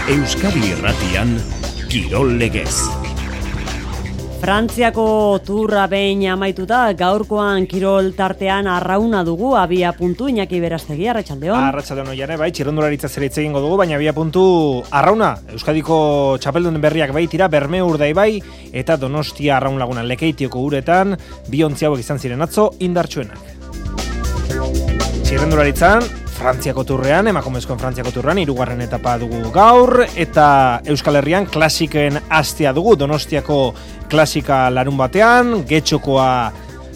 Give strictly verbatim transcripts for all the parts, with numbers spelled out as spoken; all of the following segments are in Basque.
Euskadi Irratian, Kirol Legez. Frantziako turra behin amaituta, gaurkoan kirol tartean arrauna dugu, abia puntu, Iñaki Berastegi, Arratsaldeon. Arratsaldeon oiane, bai, txirrendularitza zer hitz egingo dugu, baina abia puntu arrauna. Euskadiko txapeldun berriak baitira, Berme Urdai bai, eta Donostia Arraun Laguna Lekeitioko uretan, bi ontzi hauek izan ziren atzo indartsuenak. Txirrendularitzan, Frantziako turrean, emakumezkoen Frantziako turrean, hirugarren etapa dugu gaur, eta Euskal Herrian klasikoen astea dugu, Donostiako klasika larun batean, getxokoa,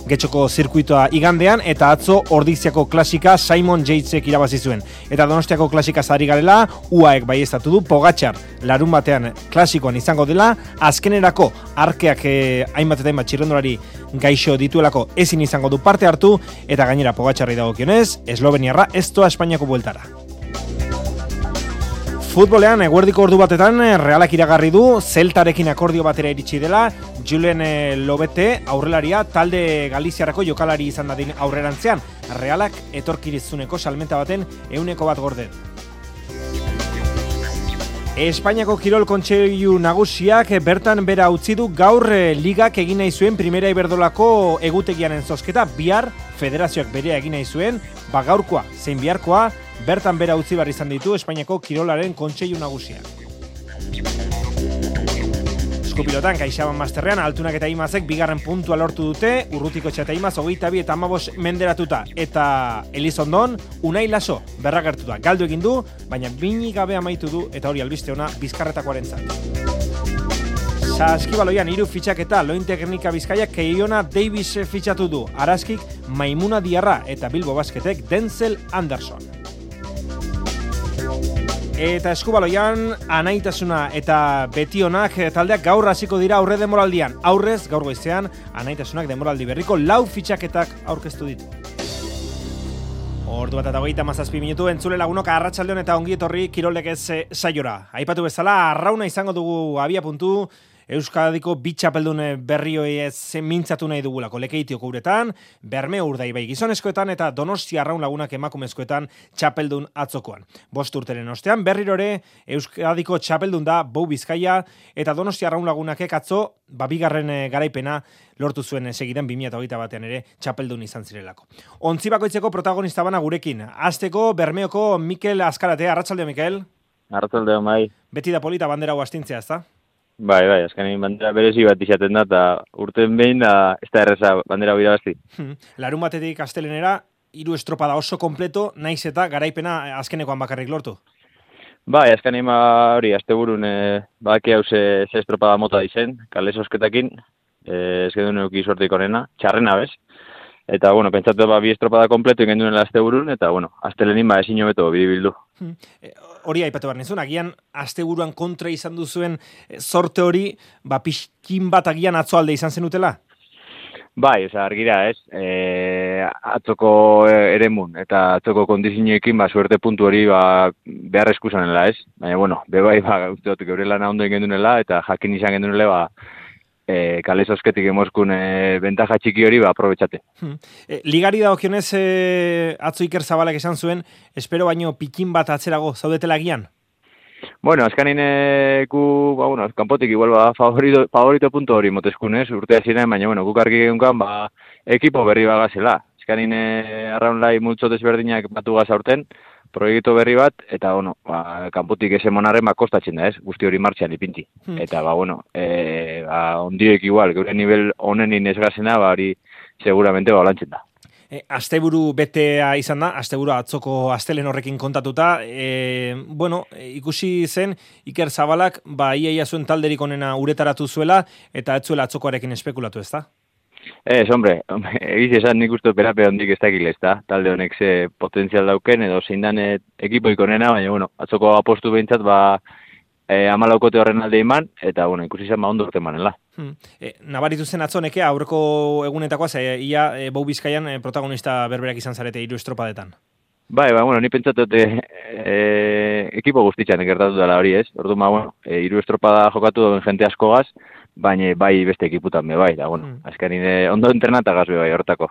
getxoko zirkuitoa igandean, eta atzo Ordiziako klasika Simon Yatesek irabazi zuen. Eta Donostiako klasika zari garela, U A Ek baieztatu du, Pogačar larun batean klasikoan izango dela, azkenerako arkeak eh, hainbat eta hainbat txirrendulari gaixo dituelako ezin izango du parte hartu, eta gainera Pogačarri dagokionez, Esloveniarra ez doa Espainiako bueltara. Futbolean, eguerdiko ordu batetan, Realak iragarri du, Zeltarekin akordio batera iritsi dela, Julen Lobete aurrelaria talde Galiziarako jokalari izan dadin aurrerantzean, Realak etorkirizuneko salmenta baten ehuneko bat gorde. Espainiako Kirol Kontseilu Nagusiak bertan bera utzi du gaur ligak egin nahi zuen Primera Iberdolako egutegiaren zozketa, bihar federazioak berea egin nahi zuen, ba gaurkoa zein biharkoa, bertan bera utzi behar izan ditu Espainiako Kirolaren Kontseilu Nagusiak. Eskupilotan, Kaixaban Masterrean, Altunak eta Imazek bigarren puntua lortu dute, Urrutiko eta Imaz hogeita bi eta hamabos menderatuta, eta Elizondon, Unai Laso berragertuta. Galdu egin du, baina bini gabe amaitu du, eta hori albiste ona Bizkarretakoarentzat. Saskibaloian hiru fitxaketa, Loin Teknika Bizkaiak Keiona Davis fitxatu du, Araskik Maimuna Diarra eta Bilbo Basketek Denzel Anderson. Eta eskubaloian, Anaitasuna eta Betionak taldeak gaur hasiko dira aurre demoraldian. Aurrez, gaur goizean, Anaitasunak demoraldi berriko lau fitxaketak aurkeztu ditu. Ordu bat eta hogeita hamazazpi minutu, entzule lagunok arratsaldeon eta ongi etorri Kirol Legez saiora. Aipatu bezala, arrauna izango dugu abia puntu, Euskadiko bi txapeldun berrioi ez mintzatu nahi dugulako Lekeitioko uretan, Berme Urdai bai gizonezkoetan eta Donostia Arraun Lagunak emakumezkoetan txapeldun atzokoan. Bost urteren ostean berrirore Euskadiko txapeldun da Bou Bizkaia eta Donostia Arraun Lagunakek atzo babigarren garaipena lortu zuen segidan bi mila hogeita batean ere txapeldun izan zirelako. Ontzi bakoitzeko protagonista bana gurekin. Hasteko Bermeoko Mikel Azkarate, arratsaldeo Mikel. Arratsaldeo bai. Beti da polita bandera hau astintzea, ezta? Bai, bai, azkenean bandera berezi bat izaten da, eta urten behin da, ez da erreza bandera hori irabazti. Larun batetik astelenera, hiru estropada oso kompleto, naiz eta garaipena azkenekoan bakarrik lortu. Bai, azkenean hori, asteburun e, baki hau ze, ze estropada mota dizen, kale sosketakin, e, ez gendun euki suerteik onena, txarrena bez. Eta, bueno, pentsatu ba, bi estropada kompleto ingen duenela asteburun, eta, bueno, astelenin ba ezin hobeto bidibildu. Hori aipatu behar nizun, agian asteburuan kontra izan duzuen sorte hori, ba, pixkin bat agian atzoalde izan zenutela? Bai, oza, argira ez, e, atzoko eremun eta atzoko kondizioekin, ba, suerte puntu hori, ba, behar eskuzanela ez. Baina, bueno, bebai, ba, uste dut, geure lana ondo ingen duenela, eta jakin izan ingen duenela, ba, E, kale sosketik emozkun e, bentaja txiki hori ba, aprobetxate. Hmm. E, ligari dagokionez e, atzo Iker Zabalak esan zuen, espero baino pikin bat atzerago zaudetela gian? Bueno, azkanin gu, ba, bueno, kanpotik igual ba, favorito, favorito punto hori motezkunez, urtea ziren, baina, bueno, guk argi geunkan, ba, ekipo berri bagazela. Azkanin e, arraunlai multzo desberdinak batu gaz aurten, proiektu berri bat, eta, bueno, ba, kanpotik ese monarren ba, kostatzen da, ez? Guzti hori martxan ipinti. Hmm. Eta, ba, bueno, e, ba, ondiek igual, geure nivel honenin ez gazena, ba, hori seguramente ba, lantzen da. E, asteburu betea izan da, asteburu atzoko astelen horrekin kontatuta, e, bueno, ikusi zen Iker Zabalak, ba, iaia zuen talderik onena uretaratu zuela, eta ez zuela atzokoarekin espekulatu, ez da? Ez, hombre, egiz esan nik uste operape hondik ez dakil ez da, talde honek ze potentzial dauken, edo zein dan ekipoik onena, baina, bueno, atzoko apostu behintzat, ba, e, amalaukote horren alde iman, eta, bueno, ikusi zen, ba, ondo urte manela. Hmm. E, nabaritu zen atzoneke, aurreko egunetakoa, ze, ia, e, Bou Bizkaian e, protagonista berberak izan zarete hiru estropadetan. Bai, ba, bueno, ni pentsatut e, e, ekipo guztitzan gertatu dela hori ez, ordu ma, bueno, e, hiru estropada jokatu duen jente askogaz, baina bai beste ekiputan be bai, da, bueno, mm. azkenin ondo entrenatagaz be bai, hortako.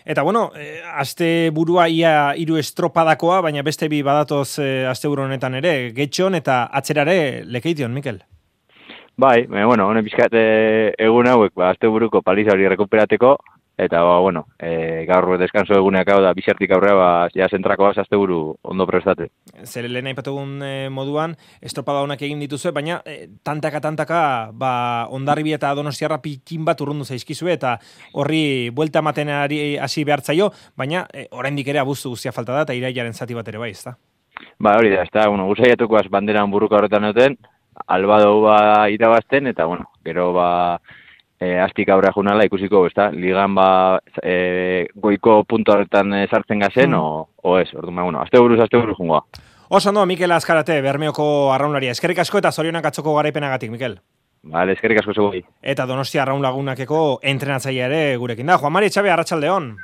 Eta bueno, e, aste burua ia hiru estropadakoa, baina beste bi badatoz e, aste buru honetan ere, Getxon eta atzerare Lekeition, Mikel. Bai, baina, bueno, honen pixkat egun hauek, ba, aste buruko paliza hori rekuperateko, eta, ba, bueno, e, gaur deskanso eguneak hau da, bizartik aurrea, ba, ja zentrako baz, aste buru ondo prestate. Zer lehen aipatugun e, moduan, estropada honak egin dituzue, baina e, tantaka-tantaka, ba, Hondarribi eta Donostiarra pikin bat urrundu zaizkizue, eta horri buelta ematen hasi behartzaio, baina e, oraindik ere abuztu guztia falta da, eta irailaren zati bat ere bai, ezta? Ba, hori da, ezta, bueno, guzaiatuko az banderan burruka horretan duten, albado ba irabazten, eta, bueno, gero ba, e, astik aurrea junala ikusiko, ezta, ligan ba e, goiko punto horretan e, sartzen gazen, mm. o, o ez, orduan, bueno, azte buruz, azte buruz jungoa. Oso ondo, Mikel Azkarate, Bermeoko arraunlaria. Eskerrik asko eta zorionak atzoko garaipenagatik, Mikel. Vale, eskerrik asko zego. Eta Donostia arraun lagunakeko entrenatzailea ere gurekin da. Juan Mari Etxabe, arratsaldeon.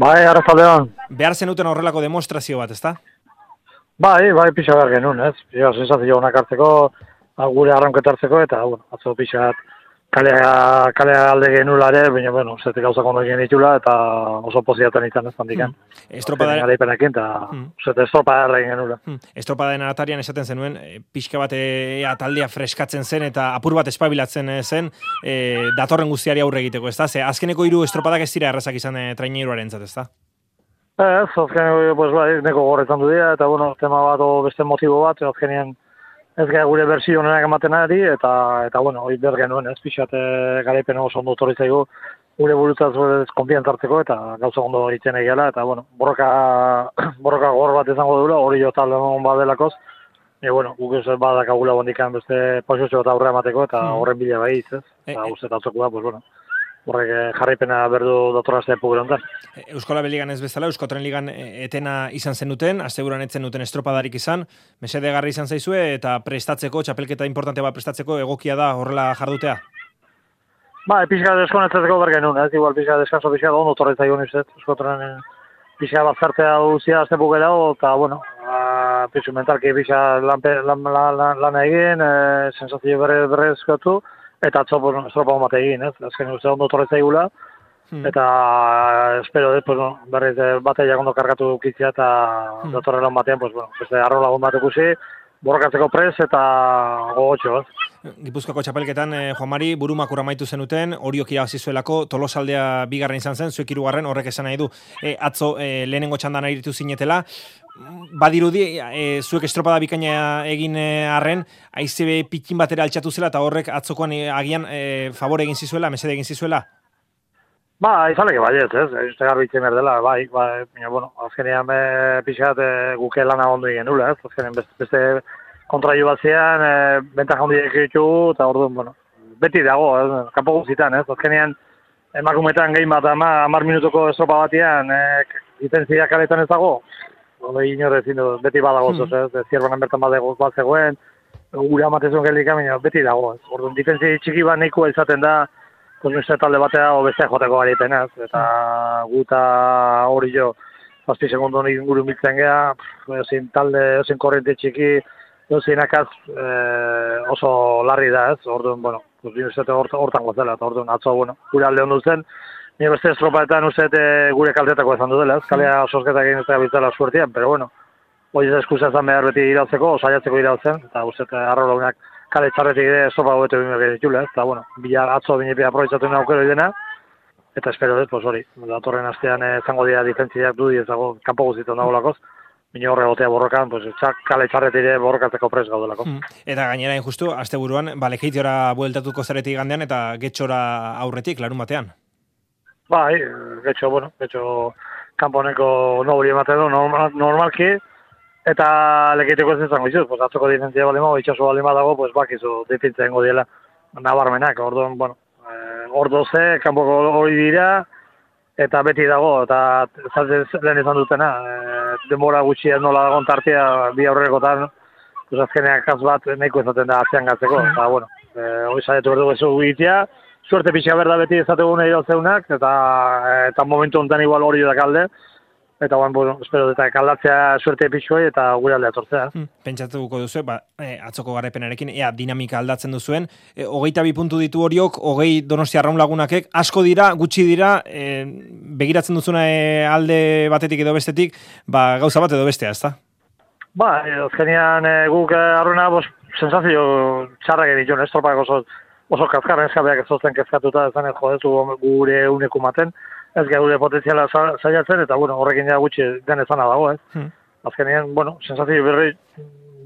Bai, arratsaldeon. Behar zenuten horrelako demostrazio bat, ezta? Bai, bai, pixa behar genuen, ez? Pixa, sensazio honak hartzeko, gure arranketartzeko, eta, bueno, atzo pixa kalea, kalea alde genula ere, baina, bueno, zetik gauzak ondo egin ditula, eta oso poziatan izan ez handikan. Mm. Estropadaren... Garaipenekin, eta mm. zete estropada egin genula. Mm. Estropadaren aratarian esaten zenuen, e, pixka bat e, taldea freskatzen zen, eta apur bat espabilatzen zen, e, datorren guztiari aurre egiteko, ezta? Ze, azkeneko hiru estropadak ez dira errazak izan e, traineruaren zat, ezta? Ez, azkeneko, pues, bai, neko gorretan du dira, eta, bueno, tema bat o beste motibo bat, azkenean ez gara gure berzio honenak ematen ari, eta, eta bueno, hori behar genuen, ez pixate garaipen oso ondo torritzaigu, gure burutzaz konfiantzartzeko, eta gauza ondo egiten egiala, eta, bueno, borroka, borroka gor bat izango dula, hori jo talde hon badelakoz, e, bueno, guk ez badakagula bondikan beste posizio eta aurre emateko, eta horren bila bai ez, eta uste eta atzokua, pues, bueno, horrek jarraipena berdu datorrazte pugurantan. Euskola Beligan ez bezala, Euskotren Ligan etena izan zenuten, asteburuan etzen duten estropadarik izan, mesedegarri izan zaizue, eta prestatzeko, txapelketa importante bat prestatzeko, egokia da horrela jardutea? Ba, pixka deskonetzeko bergen nun, ez, igual pixka deskanso pixka da ondo torretza egon izet, Euskotren pixka bat zartea duzia azte bukera, eta, bueno, pixu mentalki pixka lan, lan, lan, lan egin, e, sensazio berre, berre eskatu, eta atzo, pues, estropa hon bat egin, ez? Azken uste ondo torretza egula, hmm. eta espero, ez, pues, no, berriz bateiak ondo kargatu kitzia, eta hmm. datorrelan batean, pues, bueno, beste arro lagun bat ikusi, borrokatzeko pres, eta gogotxo, ez? Gipuzkoako txapelketan, eh, Juan Mari, burumakur amaitu zenuten, Oriok irabazizuelako, Tolosaldea bigarren izan zen, zuek hirugarren, horrek esan nahi du, eh, atzo eh, lehenengo txandan aritu zinetela, badirudi, e, zuek estropada bikaina egin arren, aizebe pikin batera altxatu zela, eta horrek atzokoan e, agian e, favore egin zizuela, mesede egin zizuela? Ba, izaleke baiet, ez, uste garbitzen berdela, bai, bai, bueno, azkenean e, pixat e, guke lana ondo egin nula, ez, azkenean beste, beste kontraiu bat zean, e, bentak handi ditugu, eta orduan, bueno, beti dago, ez, kanpo guztitan, ez, azkenean emakumetan gehin bat, ama, amar minutuko estropa batian, e, ditenzia kaletan ez dago, Hori inorez, beti badago, mm. ez, zierbanan bertan badego bat zegoen, gure amatezun geldik amina, beti dago, ez. Orduan, difentzi txiki bat nahikoa izaten da, konzunzte talde batea, o beste joteko garaipen, ez, eta guta hori jo, zazpi segundu honik inguru miltzen geha, ezin talde, ezin korrente txiki, ezin akaz eh, oso larri da, ez, orduan, bueno, hortan gozela, eta orduan, atzo, bueno, gure alde ondu zen, Nire beste estropaetan uste gure kaltetako ezan dudela, ez? Kalea sosketak egin ez da biltzela suertian, pero bueno, hori ez eskuza ezan behar beti irautzeko, osaiatzeko irautzen, eta uste arro launak kale txarretik ere estropa gobetu bimeo gire ditule, ez? Eta bueno, bila atzo binepia aproitzatu nina aukero idena, eta espero ez, pues hori, datorren astean zango dira difentziak du, ez dago, kanpo guztietan dago lakoz, bine horre gotea borrokan, pues, txak, kale txarretik ere borrokatzeko pres gaudelako. Mm. Eta gainera, injustu, aste buruan, Lekeitiora bueltatuko zaretik gandean, eta Getxora aurretik, larun batean. Bai, getxo, bueno, getxo kanponeko nobri ematen du normal, normalki, eta Lekeiteko ez izango izuz, pues, atzoko difentzia bali mago, itxaso bali dago, pues, bakizu difentzia ingo diela nabarmenak, orduan, bueno, eh, ordo ze, kanpoko hori dira, eta beti dago, eta lehen izan dutena, eh, denbora gutxia nola dagoen tartia, bi aurrekotan, pues, azkeneak kaz bat nahiko izaten da atzean gatzeko, eta, bueno, eh, hori saietu berdu gezu gitea, suerte pixka berda beti ezategune irautzeunak, eta, eta momentu honetan igual hori da kalde, eta guan, bueno, espero, eta kaldatzea suerte pixoi eta gure aldea tortzea. Hmm, pentsatuko duzu, ba, e, atzoko garaipenarekin, ea dinamika aldatzen duzuen, e, hogeita bi puntu ditu horiok, hogei Donostia Arraun Lagunakek, asko dira, gutxi dira, e, begiratzen duzuna e, alde batetik edo bestetik, ba, gauza bat edo bestea, ezta? Ba, e, azkenean e, guk e, arruena, bos, sensazio txarrak edituen, ez torpak oso, oso kazkarren eskabeak ez zozten kezkatuta, ez jodetu gure uneku maten, ez gure potentziala saiatzen, eta bueno, horrekin ja gutxi den ezana dago, ez? Hmm. Azkenean, bueno, sensazio berri,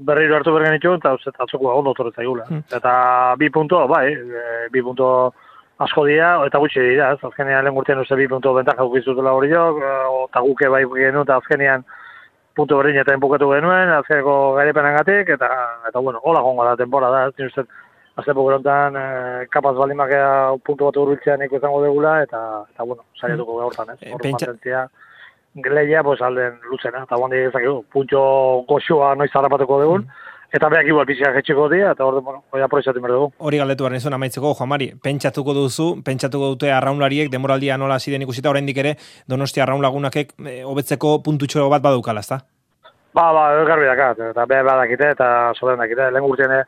berriro hartu bergen ditu, eta atzoko ondo torretza igula. Hmm. Eta bi punto, bai, e, bi punto asko dira, eta gutxi dira, ez? Azkenean lehen urtean uste bi punto bentaja ukizutela hori jo, eta guke bai genuen, eta azkenean puntu berdin eta enpukatu genuen, azkeneko gairepenengatik, eta, eta bueno, hola gongo da temporada, ez? Uste, aztepo gerontan, eh, kapaz balimakea puntu bat urbiltzean iko izango degula, eta, eta bueno, saiatuko gaurtan, ez? Hor Pentsa... mantentzia, leia, pues, alden lutzena, eta guandi ezakegu, puntxo goxua noiz harrapatuko dugun, eta behak igual pixak etxeko dira, eta hor, bueno, hori aproitzatu behar dugu. Hori galdetu behar nizun amaitzeko, Juan Mari, pentsatuko duzu, pentsatuko dute arraunlariek, demoraldia nola ziren ikusita, oraindik ere, Donostia Arraun Lagunakek hobetzeko puntutxo bat badukala, ezta? Ba, ba, garbi dakat, eta behar badakite, eta soberen dakite, lehen urtean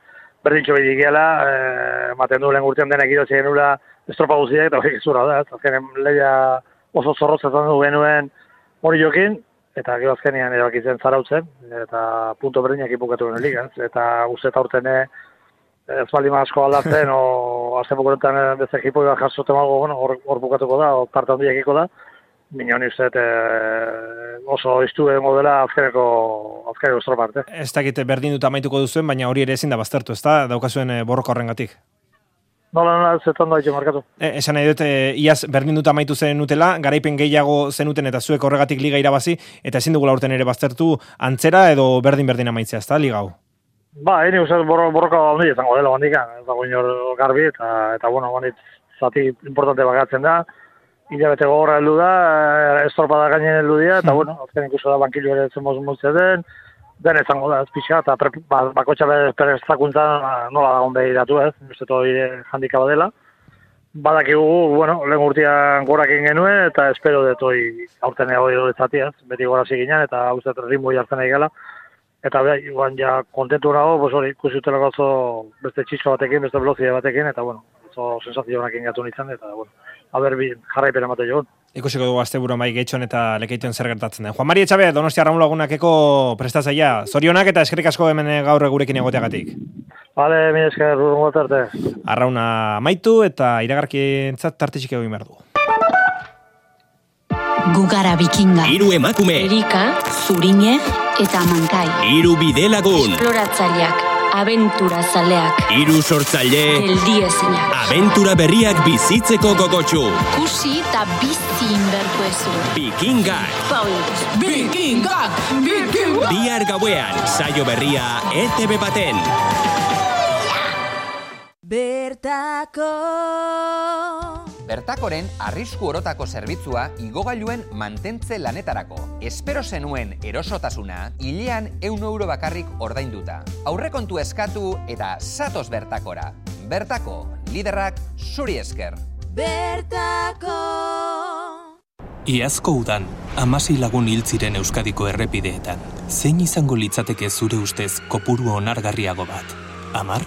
berdintxo behidik gela, eh, maten du lehen urtean denek idotzen genula estropa guziak, eta hori zura da, ez azkenen leia oso zorrotzetan du genuen hori jokin, eta gero azkenean erabakitzen zarautzen, eta punto berdinak ipukatu genuen ligaz, eta uste eta urtene ez baldima asko aldatzen, o azken bukurentan beste ekipoi bat jarzoten algo, bueno, hor, hor bukatuko da, o parte handiakiko da, Bina honi uste eh, oso iztu egon dela azkeneko, azkeneko estropa arte. Ez dakite berdin dut amaituko duzuen, baina hori ere ezin da baztertu, ez da? Daukazuen e, borroka horrengatik. Nola, nola, zetan da itxe markatu. E, esan nahi dut, e, iaz berdin dut amaitu zen utela, garaipen gehiago zenuten eta zuek horregatik liga irabazi, eta ezin dugula urten ere baztertu antzera edo berdin-berdin amaitzea, ez da, liga hau? Ba, hini uste borroka handi izango dela handikan, ez dago inor garbi, eta, eta bueno, honit zati importante bagatzen da, hilabete gogorra heldu da, estropada gainen heldu dira, eta bueno, azken ikuso da bankillo ere zenboz multze den, den ezango da, ez pixa, eta ba, bakotxa perestakuntza nola dagoen behiratu ez, uste hori handikaba dela. Badakigu, bueno, lehen urtean gorak egin genuen, eta espero dut hori aurten hori horretzatiaz, beti gora ziginan, eta uste ritmo jartzen nahi gala. Eta beha, iguan ja kontentu nago, pues hori, ikusi utelako oso beste txisko batekin, beste velozia batekin, eta bueno, oso sensazio honak ingatu nintzen, eta bueno, haber jarraipen emate joan. Ikusiko dugu asteburuan bai Getxon eta Lekeituen zer gertatzen den. Juan Mari Etxabe, Donostia Arraun Lagunakeko prestatzailea. Zorionak eta eskerrik asko hemen gaur gurekin egoteagatik. Bale, mi esker, urrungo tarte. Arrauna amaitu eta iragarkientzat tartixik egin behar du. Gugara Bikinga. Hiru emakume. Erika, Zurine eta Mankai. Hiru bidelagun. Esploratzaileak, abentura zaleak. Hiru sortzaile. Geldiezinak. Abentura berriak bizitzeko gogotsu. Kusi eta bizi inbertu ezu. Bikingak. Paulus. Bikingak! Bikingak! Bihar gauean, saio berria E T B baten. Bertako. Bertakoren arrisku orotako zerbitzua igogailuen mantentze lanetarako. Espero zenuen erosotasuna, hilean ehun euro bakarrik ordainduta. Aurrekontu eskatu eta zatoz Bertakora. Bertako, liderrak zuri esker. Bertako. Iazko udan, hamasei lagun hil ziren Euskadiko errepideetan. Zein izango litzateke zure ustez kopuru onargarriago bat? Hamar?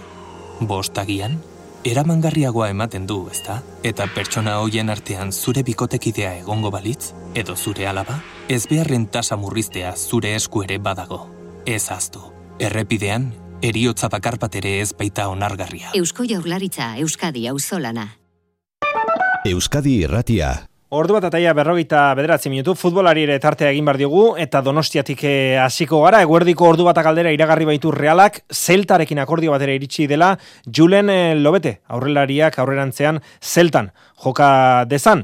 Bost agian? Eramangarriagoa ematen du, ezta? Eta pertsona hoien artean zure bikotekidea egongo balitz? Edo zure alaba? Ez beharren tasa murriztea zure esku ere badago. Ez ahaztu. Errepidean, heriotza bakar bat ere ez baita onargarria. Eusko Jaurlaritza, Euskadi auzolana. Euskadi Irratia. Ordu bat ataia berrogeita bederatzi minutu, futbolari ere tartea egin behar diogu, eta Donostiatik hasiko gara, eguerdiko ordu bat galdera iragarri baitu Realak, Zeltarekin akordio batera iritsi dela, Julen Lobete, aurrelariak aurrerantzean Zeltan joka dezan,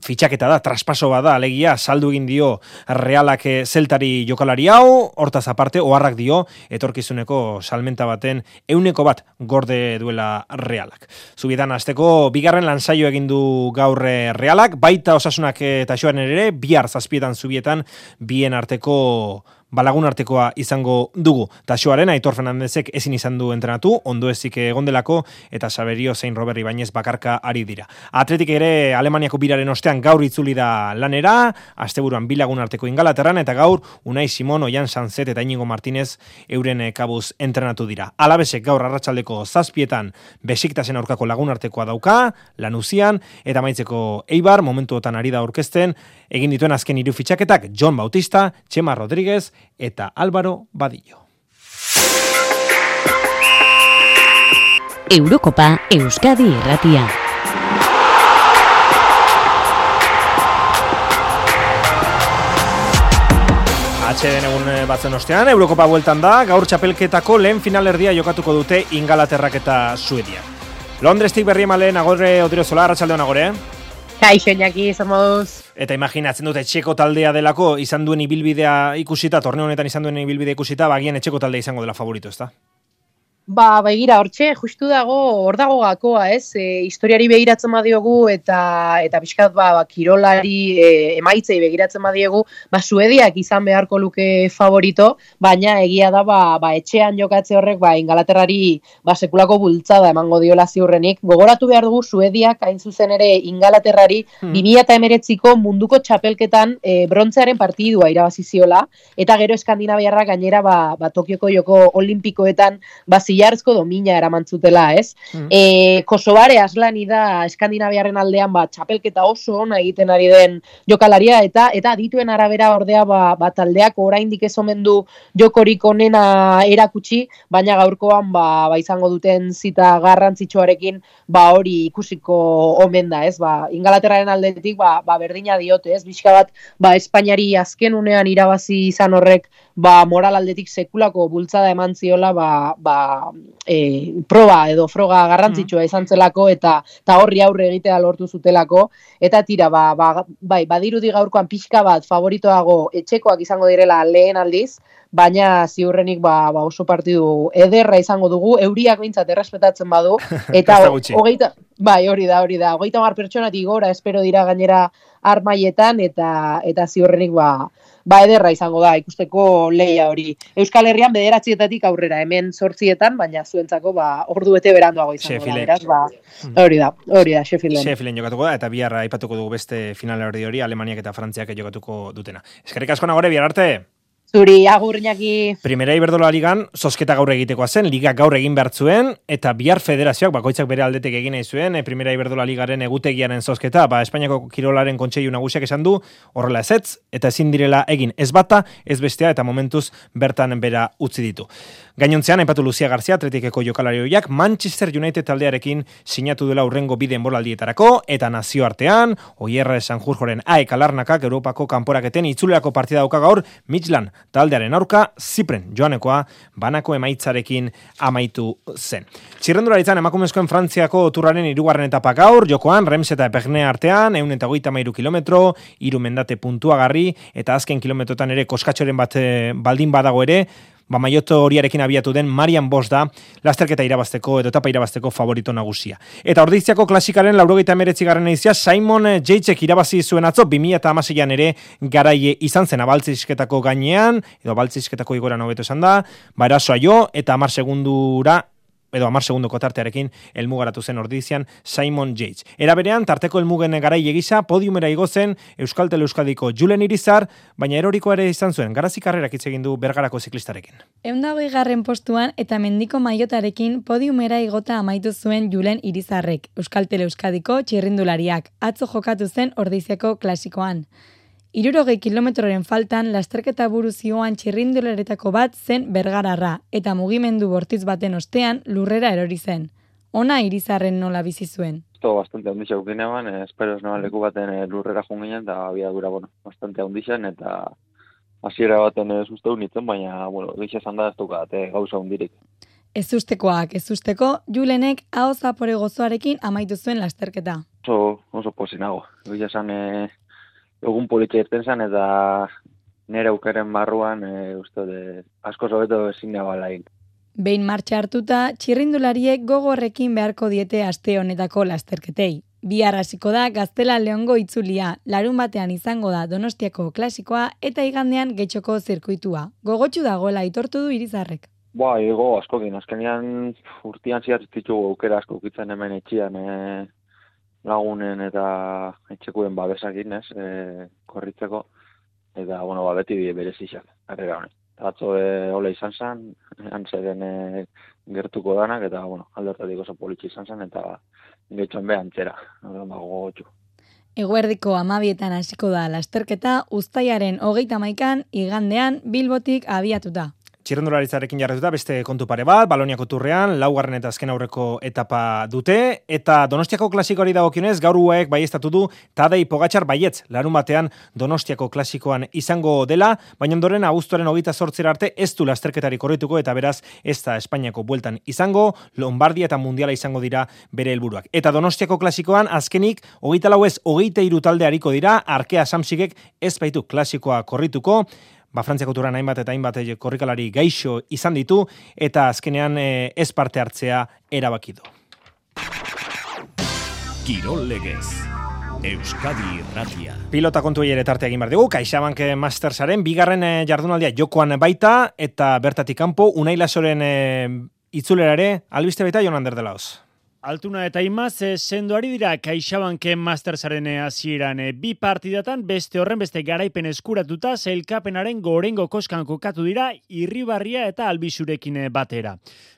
fitxaketa da, traspaso bada, alegia, saldu egin dio Realak Zeltari jokalari hau, hortaz aparte, oharrak dio, etorkizuneko salmenta baten euneko bat gorde duela Realak. Zubietan hasteko bigarren lansaio egin du gaur Realak, baita Osasunak eta Xoaren ere, bihar zazpietan zubietan, bien arteko balagun artekoa izango dugu. Taxoaren Aitor Fernandezek ezin izan du entrenatu, ondo ezik egondelako, eta Saberio zein Robert Ibañez bakarka ari dira. Atletik ere Alemaniako biraren ostean gaur itzuli da lanera, asteburuan bi lagun arteko Ingalaterran, eta gaur Unai Simon, Oian Sanzet eta Inigo Martinez euren kabuz entrenatu dira. Alabesek gaur arratsaldeko zazpietan Besiktasen aurkako lagun artekoa dauka, Lanuzian, eta amaitzeko Eibar, momentuotan ari da aurkezten, egin dituen azken hiru fitxaketak Jon Bautista, Txema Rodríguez eta Álvaro Badillo. Eurokopa Euskadi Irratia. Atxeden egun batzen ostean, Eurokopa bueltan da, gaur txapelketako lehen finalerdia jokatuko dute Ingalaterrak eta Suedia. Londrestik berri emaleen agorre Odriozola, arratsaldeon agore. Kaixo, Iñaki, somos... Eta imaginatzen dute etxeko taldea delako, izan duen ibilbidea ikusita, torneo honetan izan duen ibilbidea ikusita, bagian etxeko taldea izango dela favorito, ezta? Ba, begira, hortxe, justu dago, hor dago gakoa, ez? E, historiari begiratzen badiogu eta eta pixkat, ba, ba kirolari e, emaitzei begiratzen badiegu, ba, Suediak izan beharko luke favorito, baina egia da, ba, ba etxean jokatze horrek, ba, Ingalaterrari, ba, sekulako bultzada emango diola ziurrenik. Gogoratu behar dugu, Suediak, hain zuzen ere, Ingalaterrari, hmm. bi mila hemeretziko munduko txapelketan e, brontzearen partidua irabaziziola, eta gero Eskandinaviarrak gainera, ba, ba, Tokioko joko olimpikoetan, ba, zilarrezko domina eramantzutela, ez? Mm. E, Kosovare aslani da Eskandinaviarren aldean ba, txapelketa oso ona egiten ari den jokalaria, eta eta adituen arabera ordea ba, ba, taldeak oraindik ez omen du jokorik onena erakutsi, baina gaurkoan ba, ba izango duten zita garrantzitsuarekin ba hori ikusiko omen da, ez? Ba, Ingalaterraren aldetik ba, ba berdina diote, ez? Bizka bat ba, Espainiari azken unean irabazi izan horrek ba, moral aldetik sekulako bultzada eman ziola ba, ba E, proba edo froga garrantzitsua izan zelako eta ta horri aurre egitea lortu zutelako eta tira ba, ba, bai badirudi gaurkoan pixka bat favoritoago etxekoak izango direla lehen aldiz, baina ziurrenik ba, ba oso partidu ederra izango dugu, euriak behintzat errespetatzen badu eta hogeita bai hori da hori da hogeita hamar pertsonatik gora espero dira gainera armaietan eta eta ziurrenik ba Ba, ederra izango da, ikusteko leia hori. Euskal Herrian bederatzietatik aurrera, hemen zortzietan, baina zuentzako ba, ordu bete beranduago izango da. Beraz, ba, hori da, hori da, Sheffielden. Sheffielden jokatuko da, eta bihar aipatuko dugu beste finala hori hori, Alemaniak eta Frantziak jokatuko dutena. Eskerrik asko nagore, bihar arte! Zuri, agur, Iñaki. Primera Iberdrola ligan, zozketa gaur egitekoa zen, liga gaur egin behar zuen, eta bihar federazioak, bakoitzak bere aldetek egin nahi zuen, Primera Iberdrola ligaren egutegiaren zozketa, ba, Espainiako kirolaren kontseilu nagusiak esan du, horrela ezetz, eta ezin direla egin ez bata, ez bestea, eta momentuz bertan bera utzi ditu. Gainontzean, aipatu Lucia Garcia, Atletikeko jokalarioiak, Manchester United taldearekin sinatu dela urrengo bide enboraldietarako, eta nazioartean, Oierre Sanjurjoren aek alarnakak Europako kanporaketen itzulerako partida dauka gaur, Midland taldearen aurka, Zipren joanekoa, banako emaitzarekin amaitu zen. Txirrendularitzan emakumezkoen Frantziako turraren hirugarren etapa gaur, jokoan, Rems eta Epernea artean, ehun eta hogeita hamairu kilometro, hiru mendate puntuagarri, eta azken kilometrotan ere koskatxoren bat baldin badago ere, ba maioto horiarekin abiatu den Marian Bosch da lasterketa irabazteko edo etapa irabazteko favorito nagusia. Eta Ordiziako klasikaren laurogeita hemeretzi garren edizia Simon Yatesek irabazi zuen atzo bi mila hamaseian ere garaie izan zen abaltzisketako gainean, edo abaltzisketako igoran hobeto esan da, ba erasoa jo eta hamar segundura edo hamar segundoko tartearekin helmugaratu zen Ordizian Simon Yates. Era berean, tarteko helmugen garaile gisa podiumera igo zen Euskaltel Euskadiko Julen Irizar, baina eroriko ere izan zuen garazi karrerak hitz egin du Bergarako ziklistarekin. ehun eta hogei garren postuan eta mendiko maiotarekin podiumera igota amaitu zuen Julen Irizarrek, Euskaltel Euskadiko txirrindulariak, atzo jokatu zen Ordiziako klasikoan. Hirurogei kilometroren faltan lasterketa buru zioan txirrindularetako bat zen Bergararra, eta mugimendu bortitz baten ostean lurrera erori zen. Ona Irizarren nola bizi zuen. Esto bastante handixak ginean, eh, espero esnoan leku baten eh, lurrera junginen, eta abiadura, bueno, bastante handixan, eta hasiera baten ez uste unitzen, baina, bueno, egixe esan da ez dukat, eh, gauza hundirik. Ez ustekoak, ez usteko, Julenek hau zapore gozoarekin amaitu zuen lasterketa. Oso, oso pozinago, egixe esan... Eh, egun politxe irten zen, eta nire aukeren barruan, e, uste, de, asko zobeto ezin nabalain. Behin martxa hartuta, txirrindulariek gogorrekin beharko diete aste honetako lasterketei. Bihar hasiko da Gaztela Leongo itzulia, larun batean izango da Donostiako klasikoa eta igandean Getxoko zirkuitua. Gogotsu dagoela aitortu du Irizarrek. Ba, ego askokin, azkenean urtean ziat ditugu aukera asko ukitzen hemen etxian e, lagunen eta etxekuen babesakin, ez, e, korritzeko, eta, bueno, ba, beti berezizak, harrera honen. Atzo e, hola izan zen, antzeren e, gertuko danak, eta, bueno, aldertatik oso politxe izan zen, eta getxoan behan txera, gogotxu. Eguerdiko amabietan hasiko da lasterketa, uztailaren hogeita hamaikan igandean Bilbotik abiatuta. Txirrendularitzarekin jarretuta beste kontu pare bat, Baloniako turrean, laugarren eta azken aurreko etapa dute, eta Donostiako klasikoari dagokionez gaur uek baiestatu du Tadej Pogačar baietz, larun batean Donostiako klasikoan izango dela, baina ondoren abuztuaren hogeita zortzera arte ez du lasterketari korrituko eta beraz ez da Espainiako bueltan izango, Lombardia eta Mundiala izango dira bere helburuak. Eta Donostiako klasikoan azkenik hogeita lau ez hogeita hiru talde hariko dira, Arkea Samsigek ez baitu klasikoa korrituko, Ba, Frantziako turan hainbat eta hainbat korrikalari gaixo izan ditu, eta azkenean e, ez parte hartzea erabaki du. Kirol legez. Euskadi Irratia. Pilota kontu ere tarte egin behar dugu, CaixaBank Mastersaren bigarren e, jardunaldia jokoan baita, eta bertatik kanpo Unai Lasoren e, itzulera ere, albiste baita Jon Ander de Laos. Altuna eta Imaz sendo ari dira CaixaBanken Mastersaren hasieran bi partidatan beste horren beste garaipen eskuratuta sailkapenaren gorengo koskan kokatu dira Irribarria eta Albisurekin batera.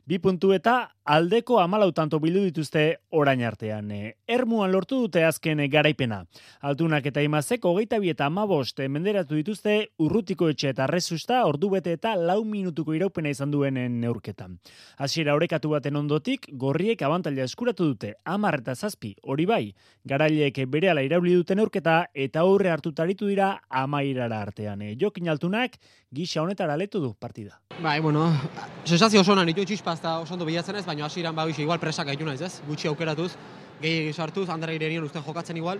Bi puntu eta aldeko hamalau tanto bildu dituzte orain artean. Ermuan lortu dute azken garaipena. Altunak eta Imazek hogeita bi eta hamabost menderatu dituzte Urrutiko etxe eta Rezusta ordubete eta lau minutuko iraupena izan duen neurketan. Hasiera orekatu baten ondotik gorriek abantaila eskuratu dute hamar eta zazpi, hori bai, garaileek berehala irauli dute neurketa eta aurre hartuta aritu dira amairara artean. Jokin Altunak gisa honetara letu du partida. Bai, bueno, sensazio oso nahi ditu txispazta oso ondo bilatzen ez, baina hasieran bagixe igual presak gaitu naiz, ez? Gutxi aukeratuz, gehi sartuz, Andre Irerion uste jokatzen igual,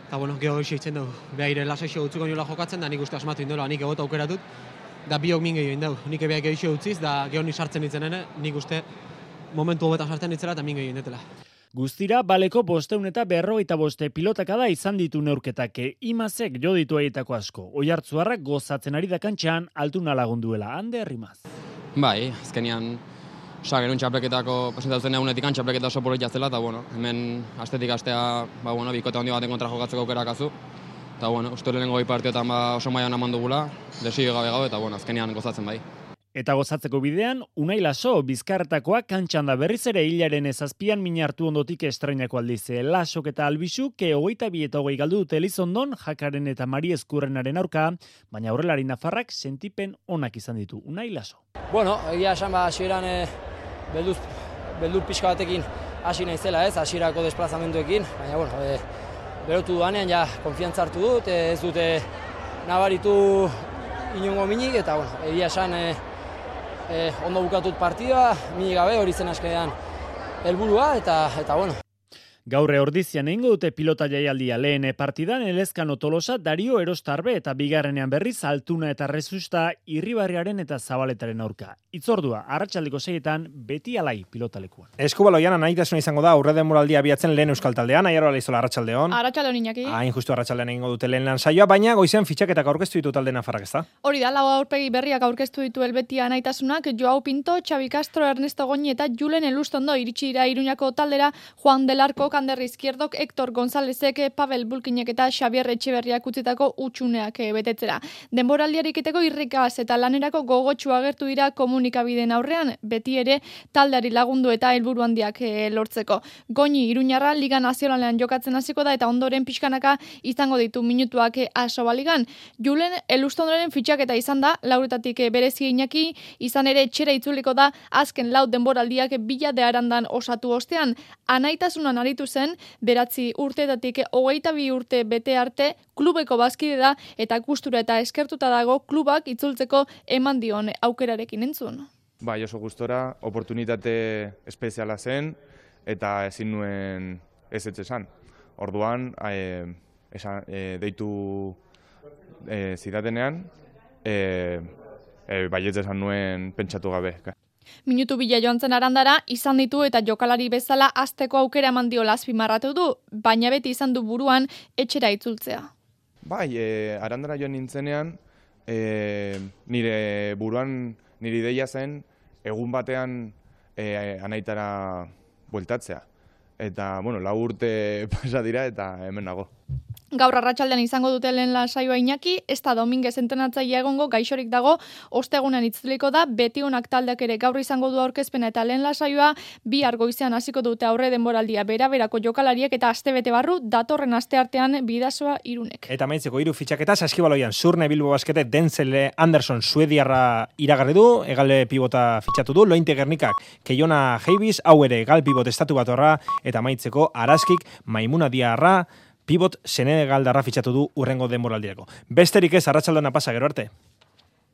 eta bueno, geho hoxe itzen dugu. Behaire lasaixo utzuko niola jokatzen, da nik uste asmatu indola, nik egota aukeratut, da biok min gehiago indau. Nik ebeak gehiago utziz, da geho ni sartzen ditzen ene, nik uste momentu hobetan sartzen ditzela eta min gehiago indetela. Guztira, baleko bosteun eta berrogeita boste pilotakada izan ditu neurketak. Imazek jo ditu aietako asko. Oiartzuarrak gozatzen ari da kantxan, Altuna lagunduela. Hande herrimaz. Bai, azkenian, osa, genuen txapleketako presentatzen egunetik txapleketa oso poloitia zela, eta bueno, hemen astetik astea, ba, bueno, bikote handi baten kontra jokatzeko aukerak azu. Eta bueno, uste lehenengo bi partioetan ba, oso maian eman dugula, lesio gabe gabe, eta bueno, azkenian gozatzen bai. Eta gozatzeko bidean, Unai Laso bizkarretakoa kantxan da berriz ere hilaren ezazpian minartu ondotik estrainako aldize. Lasok eta Albisu, ke hogeita bi eta hogei galdu dute Elizondon, Jakaren eta Mari Eskurrenaren aurka, baina aurrelari nafarrak sentipen onak izan ditu. Unai Laso. Bueno, egia esan ba, hasieran e, beldur, beldur pixka batekin hasi naizela ez, hasierako desplazamenduekin, baina bueno, e, berotu duanean ja konfiantza hartu dut, e, ez dute nabaritu inongo minik, eta bueno, egia esan e, Eh, ondo bukatut partida, mini gabe hori zen askean helburua eta eta bueno. Gaurre ordizian egingo dute pilota jaialdia lehen partidan Elezkano Tolosa, Dario Erostarbe eta bigarrenean berriz Altuna eta Rezusta Irribarriaren eta Zabaletaren aurka. Itzordua, arratsaldeko seietan beti alai pilotalekuan. Eskubaloian anaitasuna izango da aurre denboraldia abiatzen lehen euskal taldean, Aiaro Alaizola arratsaldeon. Arratsaldeon Iñaki. Hain justu arratsaldean egingo dute lehen lan saioa, baina goizen fitxaketak aurkeztu ditu talde nafarrak, ezta? Hori da, lau aurpegi berriak aurkeztu ditu Helvetia anaitasunak, Joao Pinto, Xabi Castro, Ernesto Goñi eta Julen Elustondo iritsi dira Iruñako taldera, Juan del Arco, Ander Izquierdok, Hector Gonzálezek, Pavel Bulkinek eta Xabier Etxeberriak utzitako utxuneak betetzera. Denboraldiariketeko irrikaz eta lanerako gogotsu agertu dira komunikabideen aurrean, beti ere taldeari lagundu eta helburu handiak lortzeko. Goñi Iruñarra Liga Nazionalean jokatzen hasiko da eta ondoren pixkanaka izango ditu minutuak Asobaligan. Julen Elustondoren fitxaketa izan da, lauretatik berezi Iñaki, izan ere etxera itzuliko da azken lau denboraldiak bila de arandan osatu ostean. Anaitasunan aritu zen, beratzi urteetatik hogeita bi urte bete arte klubeko bazkide da eta gustura eta eskertuta dago klubak itzultzeko eman dion aukerarekin entzun. Bai, oso gustora, oportunitate espeziala zen eta ezin nuen ez etxesan. Orduan, e, esan, e, deitu e, zidatenean, e, e, baietz esan nuen pentsatu gabe. Minutu bila joan zen Arandara, izan ditu eta jokalari bezala azteko aukera eman dio azpimarratu du, baina beti izan du buruan etxera itzultzea. Bai, e, Arandara joan nintzenean, e, nire buruan, nire ideia zen, egun batean e, anaitara bueltatzea. Eta, bueno, lau urte pasa dira eta hemen nago. Gaur arratsaldean izango dute lehen saioa Iñaki, ez da Dominguez entrenatzailea egongo, gaixorik dago, ostegunean itzuliko da, beti onak taldeak ere gaur izango du aurkezpena eta lehen saioa, bihar goizean hasiko dute aurre denboraldia bera-berako jokalariek eta astebete barru datorren asteartean Bidasoa Irunek. Eta amaitzeko hiru fitxaketa Saskibaloian Zurne Bilbo Baskete Denzel Anderson suediarra iragarri du, egale pibota fitxatu du, Lointe Gernikak Keiona Heibiz, hau ere egal pibot estatu batorra eta amaitzeko Araskik Maimuna Diarra pibot Senegaldarra fitxatu du urrengo denboraldirako. Besterik ez, arratsaldona pasa, gero arte.